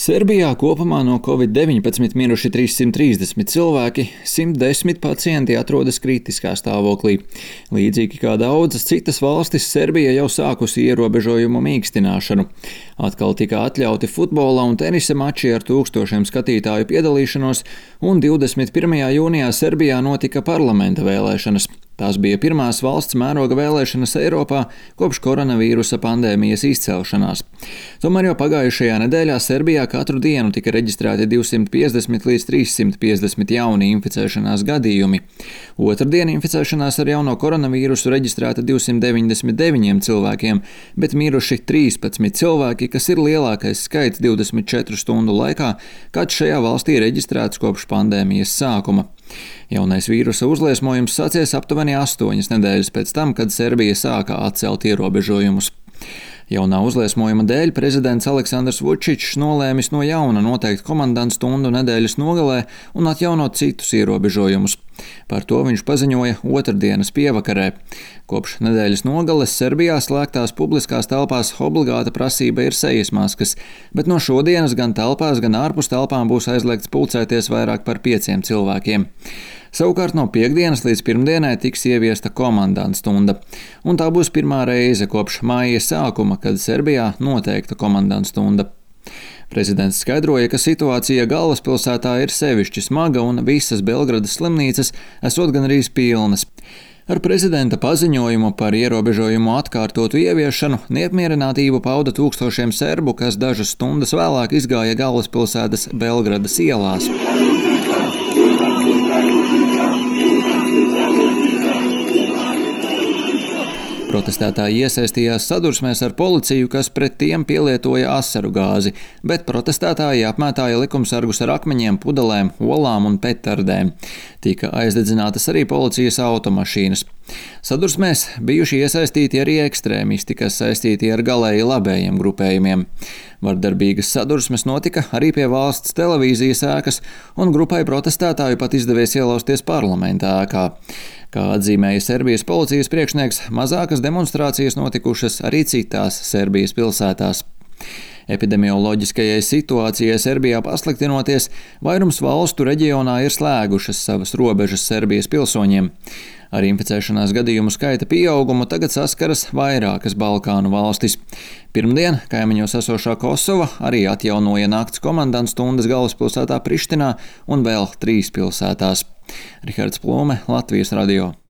Serbijā kopumā no Covid-19 miruši 330 cilvēki, 110 pacienti atrodas kritiskā stāvoklī. Līdzīgi kā daudzas citas valstis, Serbija jau sākusi ierobežojumu mīkstināšanu. Atkal tika atļauti futbola un tenisa mači ar tūkstošiem skatītāju piedalīšanos, un 21. jūnijā Serbijā notika parlamenta vēlēšanas. Tās bija pirmās valsts mēroga vēlēšanas Eiropā kopš koronavīrusa pandēmijas izcelšanās. Tomēr jau pagājušajā nedēļā Serbijā katru dienu tika reģistrēti 250 līdz 350 jauni inficēšanās gadījumi. Otrdien inficēšanās ar jauno koronavīrusu reģistrēta 299 cilvēkiem, bet miruši 13 cilvēki, kas ir lielākais skaits 24 stundu laikā, kad šajā valstī reģistrēts kopš pandēmijas sākuma. Jaunais vīrusa uzliesmojums sācies aptuveni 8 nedēļas pēc tam, kad Serbija sāka atcelt ierobežojumus. Jaunā uzliesmojuma dēļ prezidents Aleksandrs Vučičs nolēmis no jauna noteikt komandantstundu nedēļas nogalē un atjaunot citus ierobežojumus. Par to viņš paziņoja otrdienas pievakarē. Kopš nedēļas nogales Serbijā slēgtās publiskās telpās obligāta prasība ir sejas maskas, bet no šodienas gan telpās, gan ārpus telpām būs aizliegts pulcēties vairāk par 5 cilvēkiem. Savukārt no piektdienas līdz pirmdienai tiks ieviesta komandantstunda, un tā būs pirmā reize kopš māja sākuma, kad Serbijā noteikta komandantstunda. Prezidents skaidroja, ka situācija galvaspilsētā ir sevišķi smaga un visas Belgradas slimnīcas esot gandrīz pilnas. Ar prezidenta paziņojumu par ierobežojumu atkārtotu ieviešanu neapmierinātību pauda tūkstošiem serbu, kas dažas stundas vēlāk izgāja galvaspilsētas Belgradas ielās. Protestētāji iesaistījās sadursmēs ar policiju, kas pret tiem pielietoja asaru gāzi, bet protestētāji apmētāja likumsargus ar akmeņiem, pudelēm, olām un petardēm. Tika aizdedzinātas arī policijas automašīnas. Sadursmēs bijuši iesaistīti arī ekstrēmisti, kas saistīti ar galēji labējiem grupējumiem. Vardarbīgas sadursmes notika arī pie valsts televīzijas ēkas, un grupai protestētāju pat izdevies ielausties parlamenta ēkā. Kā atzīmēja Serbijas policijas priekšnieks, mazākas demonstrācijas notikušas arī citās Serbijas pilsētās. Epidemioloģiskajai situācijai Serbijā pasliktinoties, vairums valstu reģionā ir slēgušas savas robežas Serbijas pilsoņiem. Ar inficēšanās gadījumu skaita pieaugumu tagad saskaras vairākas Balkānu valstis. Pirmdien kaimiņos esošā Kosova arī atjaunoja nakts komandantstundas galvaspilsētā Prištinā un vēl 3 pilsētās. Rihards Plūme, Latvijas radio.